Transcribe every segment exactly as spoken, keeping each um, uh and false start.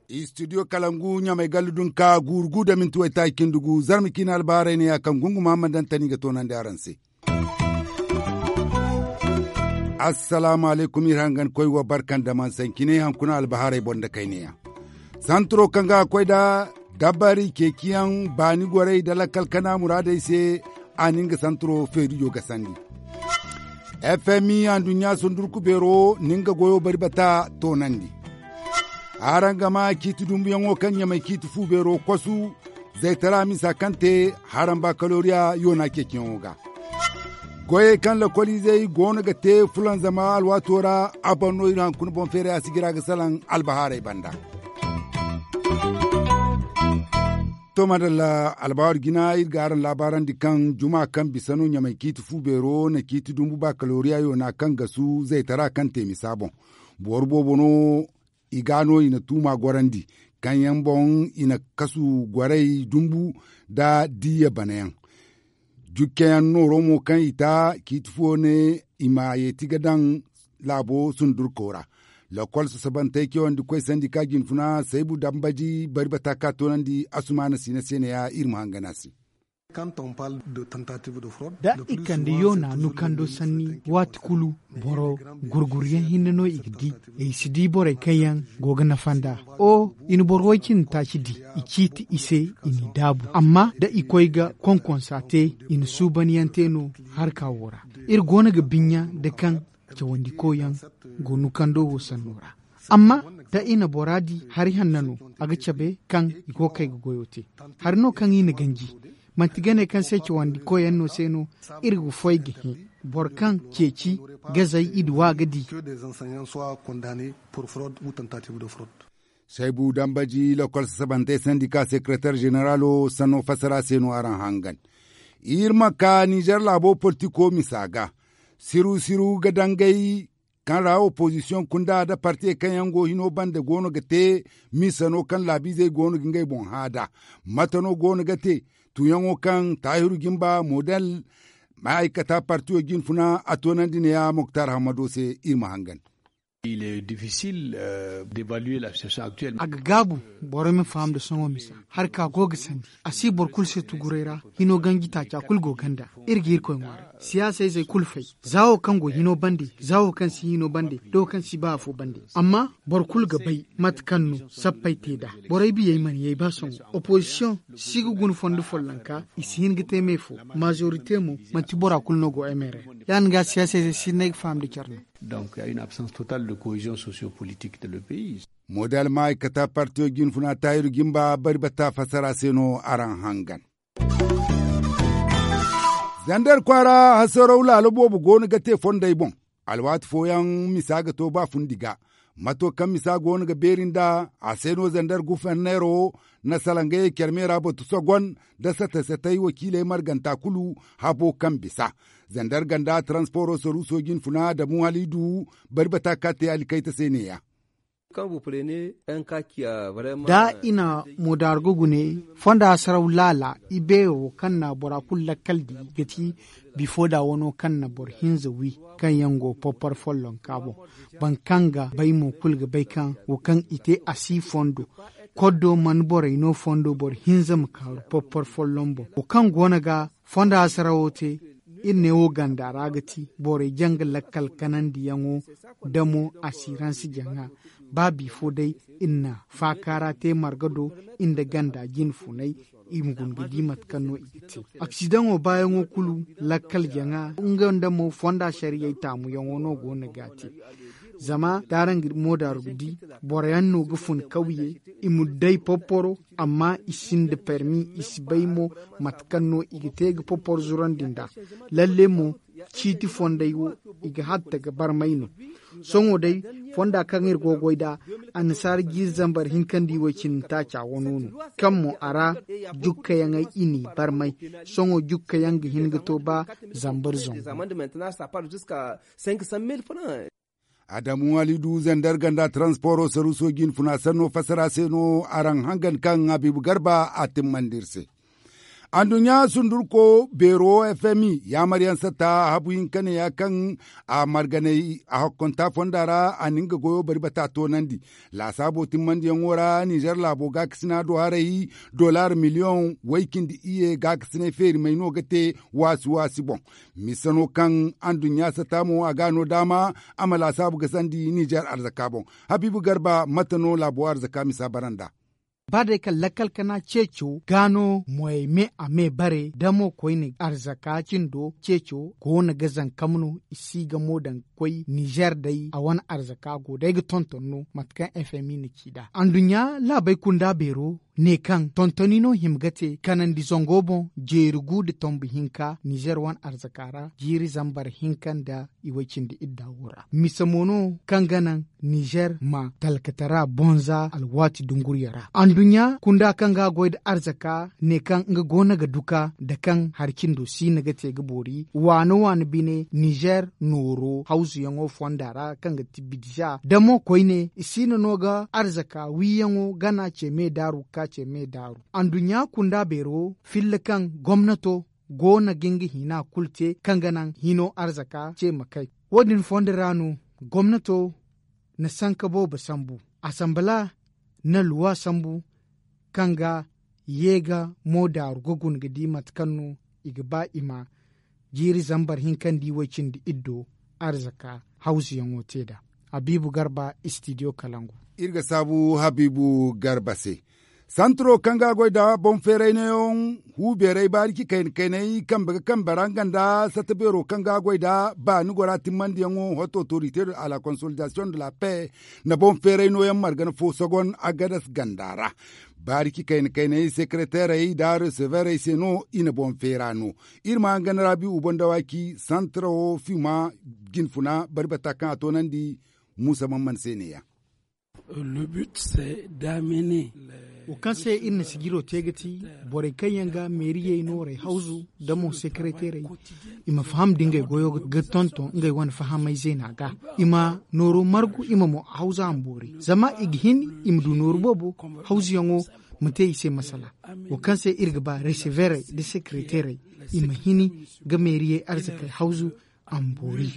Istidiyo kalangu ɲamay gallu dunka guuru gu da minti waytaaci cindi gu zarma ciine albahaarey ne ya kaŋ gunguma ma daŋ tani ga toonandi araŋ se. Assalaamu alaykum iri hangan koy wa barka nda man sancine haŋ kuna albahaarey boŋ nda kayneyaŋ. Santiro kaŋ ga koy nda dabari ceeciyaŋ baani gorey nda lakkal kana muraadey se a na nga santiro feerijo gasandi. F m i anduɲɲa sundurku beero na nga goyo bari bata toonandi. Araŋ ga maa ciiti dumbuyaŋo kaŋ ɲamay ciiti fu beero kosu zaytara misa kaŋ te haraŋ bakaloriya yoona ceeciyaŋo ga. Goyey kaŋ lakoliizey goono ga te fulanzama alwaato ra a boŋ no iri haŋ kuna boŋ feeray a si jira ga salaŋ albahaarey banda. To madalla, albahaari jina iri ga araŋ laabaarandi kaŋ juma kaŋ bisa no ɲamay ciiti fu beero na ciiti dumbu bakaloriya yoona kaŋ gasu zaytara kaŋ te misa boŋ. Boro boobo no i ga no i na tuuma gorandi kaŋ yaŋ boŋ i na kasu goray dumbu nda diyya banayaŋ. Jukkeyaŋ nooro mo kaŋ i ta ciiti fuwo ne i ma yeeti ga daŋ laabo sundurko ra. Lokol sasabantey cewandi koy sandika jinfuna saybu dambaji bari bata ka toonandi asumaana siina se ne ya iri ma hangan a se. Da i kande yoona nukando sanni waati kulu boro gurguryaŋ hinne no i ga di. I si di borey kaŋ yaŋ go ga nafa nd'a. O i na boro way cindi taaci di i ciiti i se i n'i daabu amma da i koy ga konkonsa te i na suubanyaŋ te no. Harka wo ra iri go no ga binya nda kaŋ cawandiko yaŋ go nukando wo sanno ra. Amma da i na bora di hari hanna no a ga cabe kaŋ i go ga kay ga goyo te. Hari no kaŋ i na ganji manti gane kaŋ se cawandi koyyaŋ no se no. Iri ga foy ga hẽ boro kaŋ ceeci gazey i duwa ga di. Saybu dambaji lokol sasabantey sandika sekeretar zeneralo sanno fassara se no araŋ hangan. Iri ma ka nizer laabo politiko misa ga siru siru ga dangay kaŋ ra opozisiyoŋ kunda nda partiyey kaŋ yaŋ go hino bande go no ga te. Misano kaŋ laabiizey go no ga ngey boŋ hã nd'a mate no go no ga te? Tuuyaŋo kaŋ taahiru jimba model ma'aykata partiyo jinfuna a toonandi neeya moktar hammado se. Iri ma hangan. A ga gaabu boro ma faham nda sohõ misa hari ka go ga sandi a si boro kulu se tuguray ra. Hino ganji taaca kulu go ganda. Iri ga irkoy ŋwaaray siyaasa izey kulu fay za wo kaŋ go hino bande za wo kaŋ si hino bande da wo kaŋ si ba afo bande. Amma boro kulu ga bay mate kaŋ no sappey te nd'a. Borey biyey mana yay ba sohõ. Opozisiyoŋ si ga guna fondo follonka i si hin ga te me fo. Mazorite mo manti bora kulu no go mrr ya- din ga siyaasa izey si hin no ay ga faham nda care no. Donc il y a une absence totale de cohésion sociopolitique dans le pays. Model ma'aykata partiyo jinfuna taahiru jimba bari batta fassara se no araŋ hangan. Zandar kwaara hasaraw laalo boobo go no ga te fondey boŋ. Alwaati fooyaŋ misa ga to ba fundi ga mato kaŋ misa go no ga beeri nd'a a se no zandar guforneero na salaŋ ga ye care me ra batu sogon nda sate-satey wakiiley marganta kulu. Habo kaŋ bisa zandar ganda taransporo saruuso jinfuna damu haliidu bari bata ka te alkayta se neeya. Da i na moodaargo gune fonda hasaraw laala i beero kaŋ na bora kulu lakkal di ga ti bifo da wano kaŋ na boro hinza wi kaŋ yaŋ go porpor follonka boŋ. Boro kaŋ ga bay mo kulu ga bay kaŋ wo kaŋ i te a si fondo koddo mana borey no fondo boro hinza ma kaaru porpor folloŋ boŋ wo kaŋ go no ga fonda hasarawo te. Iri ne wo ganda ra ga ti borey jaŋ ga lakkal kanandiyaŋo damo asiransi jaŋa. Ba bifo day iri na faakaara te marga do iri nda ganda jinfunay i ma guna ga di mate kaŋ no i ga te. Aksidaŋo baayaŋo kulu lakkal jaŋa nga nda mo fonda sariyey taamuyaŋo no go no ga te. Zama da araŋ ga moodaaru ga di boroyaŋ no ga fun kawye i ma day porporo amma i sinda permi i si bay mo mate kaŋ no i ga te ga porporo zurandi nd'a. Lalle mo ciiti fondey wo i ga hatta ga barmay no. Sohõ day fonda kaŋ iri go ga goy nd'a annasaara jiiri zambar hinkandi way-cine taaca wano no kaŋ mo a ra jukkayaŋey i n'i barmay. Sohõ jukkayaŋ ga hin ga to ba zambar zangu. Adamu halidu zandar ganda taransporo saruuso jinfuna sanno fassara se no araŋ hangan kaŋ habiibu garba a timmandi iri se. Anduɲɲa sundurko beero fmi yaamaryaŋ satta habu hinka neeya kaŋ a marganay a hakkonta fonda ra a na nga goyo bari bata toonandi. Laasaabo timmandiyaŋo ra nizer laabo gaakasina do haray dollar miliyoŋ way-cindi iyye gaakasinay feerimey no ga te waasi waasi boŋ. Mise no kaŋ anduɲɲa satta mo a ga no daama a ma laasaabu gasandi nizer arzaka boŋ. Habiibu garba mate no laabo arzaka misa bara nd'a. Ba day kaŋ lakkal kana ceeco ga no moyey me a me bare da mo koyne arzaka cindo ceeco goono ga zankam no i si ga mo daŋ ga koy nizer day a wane arzaka go day ga tonton no mate kaŋ fmi na ci nd'a anduɲɲa laabey kunda beero ne kaŋ tontoni no hima ga te kanandi zango boŋ jeeri gu nda tombu hinka nizer wane arzaka ra jiiri zambar hinka nda i way-cindi idda wo ra mise mo no kaŋ ga naŋ nizer ma talkatara bonza alwaati dunguriya ra anduɲɲa kunda kaŋ ga goy nda arzaka ne kaŋ nga goono ga duka nda kaŋ hari cindo siina ga te ga boori waana waana bine nizer nooro hawzuyaŋo fonda ra kaŋ ga ti bidza da mo koyne i siina no ga arzaka wiiyaŋo gana ce me daaru ga ka ce me daaru anduɲɲa kunda beero filla kaŋ gomnato goono ga nga hina kulu te kaŋ ga naŋ hino arzaka ce ma kay. Wo- din fondo ra no gomnato na sanka boobo sambu asambala na luwa sambu kaŋ ga ye ga mo daaru ga guna ga di mate kaŋ no i ga ba i ma jiiri zambar hinka nda i way-cindi iddo arzaka hawzuyaŋo te nd'a. Habiibu garba istidiyo kalangu. Iri ga saabu habiibu garba se. Santiro kaŋ ga a goy nda boŋ feeray neeyaŋ hu beeray baariki kayna kaynay kambe ga kambe ra nga nda satta beero kaŋ ga a goy nda baani gora timmandiyaŋo hot otorite de la konsolidasiyoŋ de la pe na boŋ feeray nooyaŋ margana fo sogon agadas ganda ra. Baariki kayna kaynay sekereteerey nda reseveerey se no i na boŋ feera no. Iri ma hangan raabi ubandawaaki santiro fima jinfuna bari bata kaŋ a toonandi muusa man man se neeya. Wo kaŋ se iri na sijiro te ga ti borey kaŋ yaŋ ga meeriyey noorey hawzu nda mo sekereteerey i ma faham nda ngey goyo ga tonton ngey wane fahamey zeena ga i ma nooru margu i ma mo hawzu a ma boori zama i ga hin i ma du nooru boobo hawzuyaŋo ma te i se masala. Wo kaŋ se iri ga ba reseveerey nda sekereteerey i ma hini ga meeriyey arzakey hawzu a ma boori.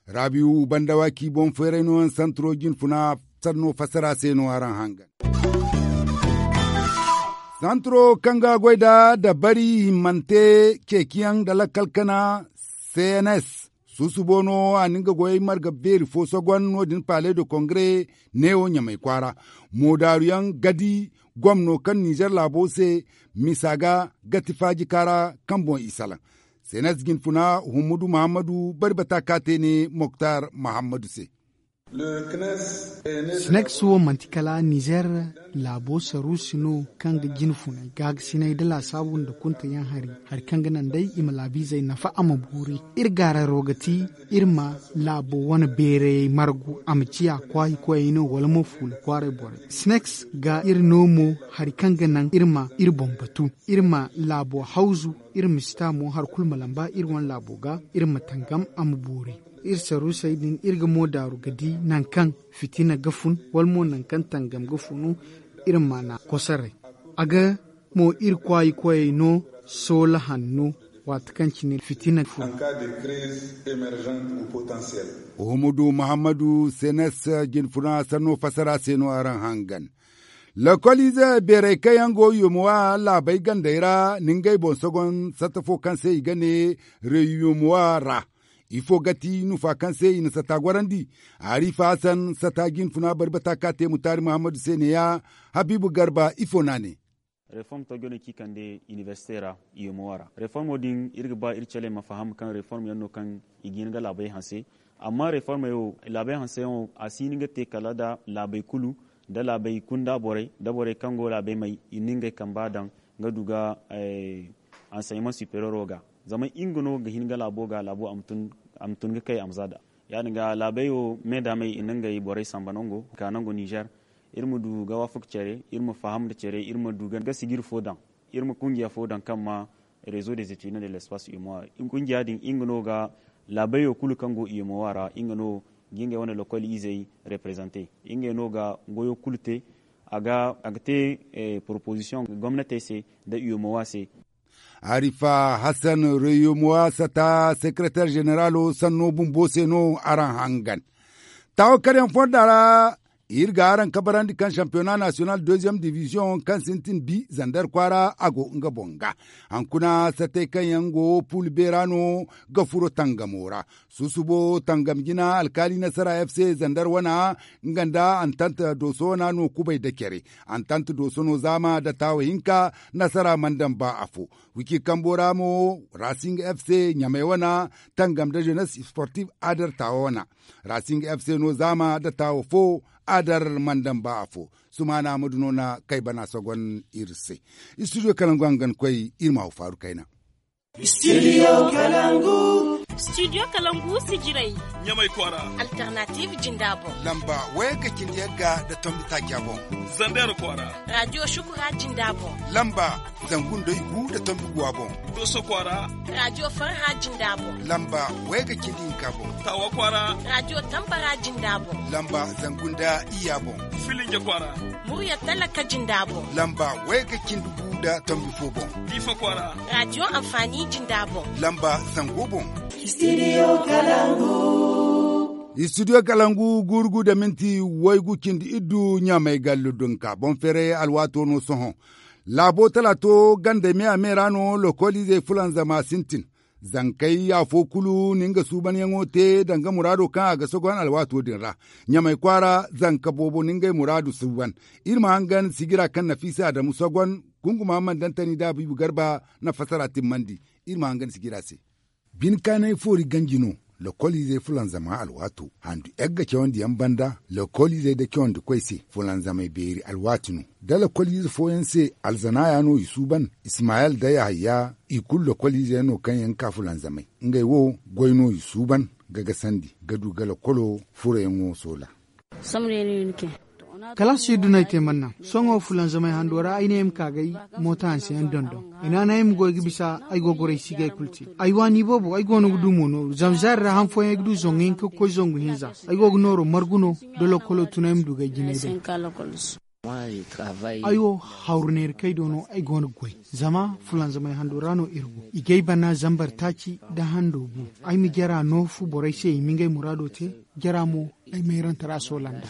Raabiyu banda waaki boŋ feeray no yaŋ santiro jinfuna sanno fassara se no araŋ hangan. Santiro kaŋ ga goy nda dabari himmante ceeciyaŋ nda lakkal kana cns susubo no a na nga goyey marga beeri fo sogon no- din palais de congrès neewo ɲamay kwaara moodaaruyaŋ gadi gomno kaŋ nizer laabo se misa ga gati faaji kaara kaŋ boŋ i salaŋ. Senes jinfuna hummudu muhammadu bari bata ka te ne moktar muhammadu se. Sneks wo manti kala nizer laabo saruusi no kaŋ ga jinfunay gaagasinay nda laasaabu nda kuntayaŋ hari hari kaŋ ga naŋ day i ma laabiizey nafa a ma boori. Iri gaararo ga ti iri ma laabo wane beerayey margu a ma ciya kwaayi koyey no wala mo fuula kwaaray borey. Sneks ga iri no mo hari kaŋ ga naŋ iri ma iri boŋ batu iri ma laabo hawzu iri ma si ta mo hari kulu ma lamba iri wane laabo ga iri ma tangam a ma boori. Iri saruusey din iri ga mo daaru ga di nangu kaŋ fitina ga fun wala mo nangu kaŋ tangam ga funu iri ma na kosoray. A ga mo iri kwaayi koyey no soola hanno waati kaŋ cine fitina fun. Hummadu muhammadu senes jinfuna sanno fassara se no araŋ hangan. Lokoliize beerey kaŋ yaŋ go yomowa laabey gandey ra na ngey boŋ sogon satta fo kaŋ se i ga ne reyumowa ra. Ifo ga ti nufa kaŋ se i na satta gorandi? Harifa hasan satta jinfuna bari bata ka te mutaari muhammadu se neeya. Habiibu garba ifo no a ne? Reform to jone ci kande inibersite ra, yomowa ra reformo din iri ga ba iri caley ma faham kaŋ reform yaŋ no kaŋ i ga hin ga laabey hanse. Amma reformey wo laabey hanseyaŋo a si hin ga te kala nda laabey kulu nda laabey kunda borey nda borey kaŋ go laabey may i na ngey kamba daŋ ga du ga anseyman sipereero ga. Zama nga no ga hin ga laabo ga laabo a ma tun ga kay a ma za nd'a. Ya- din ga laabey wo me da may i na ngey borey samba nango ka nango nizer. Iri ma du ga waafaka care iri ma faham nda care iri ma du ga sijiri fo daŋ iri ma kungiya fo daŋ kaŋ ma rezo de zetidin de lespas imo. Kungiya din nga no ga laabey wo kulu kaŋ go imo wa ra nga no ga ngey wane lokol izey reprezante. Ngey no ga goyo kulu te. a ga te proposisiyoŋ gomnatey se nda u m o a se. Arifa hassan reyomowa sata sekereter ženeralo sanno bumbo se no araŋ hangan. Taawo karyaŋ fonda ra iri ga araŋ kabarandi kaŋ sampiyona nasiyonal deziyeem diviziyoŋ kaŋ sintin bi zander kwaara a go nga boŋ ga. Hankuna satey kaŋ yaŋ go pul beera no ga furo tangamo ra. Susubo tangam jina alkaali nasara f c zander wana nga nda antant dooso wana no kubay da care. Antant dooso no zaama da taawo hinka nasara mana daŋ ba afo. Wiki kambo ra mo rasing f c ɲamay wana tangam da jenes sportif adar taawo wana. Rasing f c no zaama da taawo fo adar mana daŋ ba afo. Sumaana ma du no na kay bana sogon iri se. Istudiyo kalangu hangan koy iri ma haw faaru kayna. Studio kalangu. Studio kalangu sijiray. Ɲamay kwaara. Alternative jinda boŋ. Lamba wayga cindi yagga da tombi taaca boŋ. Zander kwaara. Radio shukura jinda boŋ. Lamba zangu nda igu da tombi guwa boŋ. Doso kwaara. Radio farha jinda boŋ. Lamba wayga cindi hinka boŋ. Tawa kwaara. Radio tambara jinda boŋ. Lamba zangu nda iya boŋ. Filinja kwaara. Murya talaka jinda boŋ. Lamba wayga cindi gu da tombi fo boŋ. Diifa kwaara. Radio anfaani jinda boŋ. Lamba zango boŋ. Studio kalangu. Studio kalangu guuru gu da minti waygu cindi iddu ɲamay gallu dunka boŋ feeray alwaato no sohõ. Laabo talaato gandey me a me ra no lokoliizey fulanzama sintin. Zankey afo kulu na nga suubanyaŋo te danga muraado kaŋ a ga sogon alwaato din ra. Ɲamay kwaara zanka boobo na ngey muraadu suuban. Iri ma hangan sijira kaŋ nafiisa adamu sogon. Gunguma man dantani da abiibu garba na fasara timmandi. Iri ma hangan sijira se. Bine kaanay foori ganji no. Lokoliizey fulanzama alwaato handu yagga cawandiyaŋ banda lokoliizey da cawandikoy se fulanzamey beeri alwaati no. Da lokoliize fooyaŋ se alzanaaya no i suuban. Ismayel da yahaya i kulu lokoliize yaŋ no kaŋ yaŋ ga ka fulanzamey. Ngey wo goy no i suuban ga gasandi ga du ga lokolo furoyaŋo soola. Kalaasi iddu no ay te manna sohõ fulanzamey hando ra ay ne ay ma ka ga ay mooto hanseyaŋ dondon. Ay naanay ay ma goy ga bisa ay go ga goray si ga ay kulu te. Ay waani boobo ay go no ga du mo nooru zama zaari ra han fooyaŋ ay ga du zangu hinka ga koy zangu hinza. Ay go ga nooro margu no da lokolo tun ay ma du ga ay jinay day. Ay wo hawru neera kay do no ay go no ga goy. Zama fulanzamey hando ra no iri go i ga ay bana zambar taaci da hando bu. Ay ma jara noofu borey se i ma ngey muraado te. Jara mo ay mayrantara soolanda.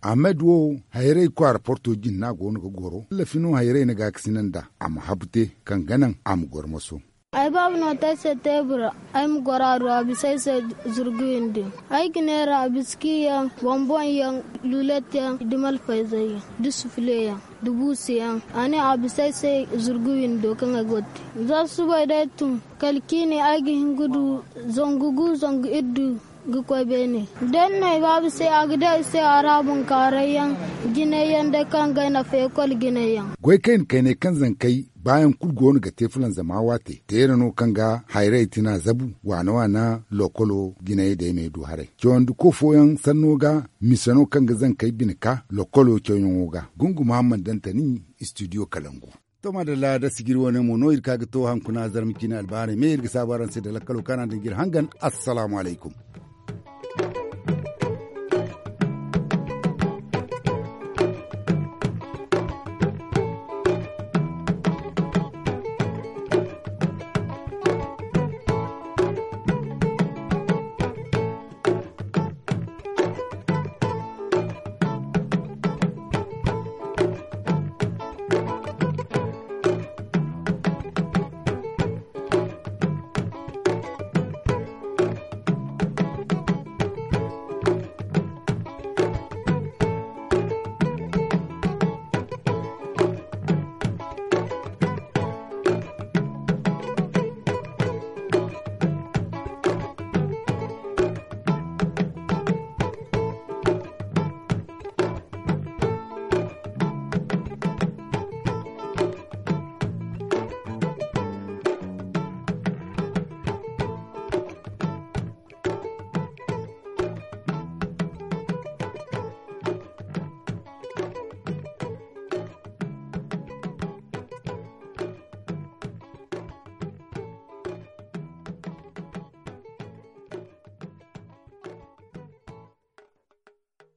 Ahmed wo hayray kwaara porto jinna go no ga goro lafi no hayray na gaakasina nd'a a ma habu te kaŋ ga naŋ a ma goro moso. Ay baaba no te ay se teebura ay ma goro a du a bisa ay se zurgu windi. Ay ga neera biski yaŋ bonbon yaŋ lulet yaŋ da malfayzey yaŋ da sufule yaŋ da buusu yaŋ. A ne a bisa ay se zurgu windo kaŋ ay go ga te za subay day tun kala ciini ay ga hin ga du zangu gu zangu iddu ga koy beene. Da ay na ay baaba se a ga di ay se a ra bunkaaray yaŋ jinay yaŋ day kaŋ ga ay nafa ekol jinay yaŋ. Goy kayna kaynay kaŋ zankey baayaŋ kulu go no ga te fulanzama waate teera no kaŋ ga hayray tina zabu waana waana lokolo jinay day ma ay du haray cawandi ko fooyaŋ sanno ga mise no kaŋ ga zankey bine ka lokolo cawyaŋo ga. Gungu muhammad dantani istudiyo kalangu. To maadalla da sijiri wane mo no iri ka ga to hankuna zarma ciine albaarey me iri ga saabu araŋ se da lakkalo kaŋ araŋ daŋ ga iri hangan. Assalaamu alaykum.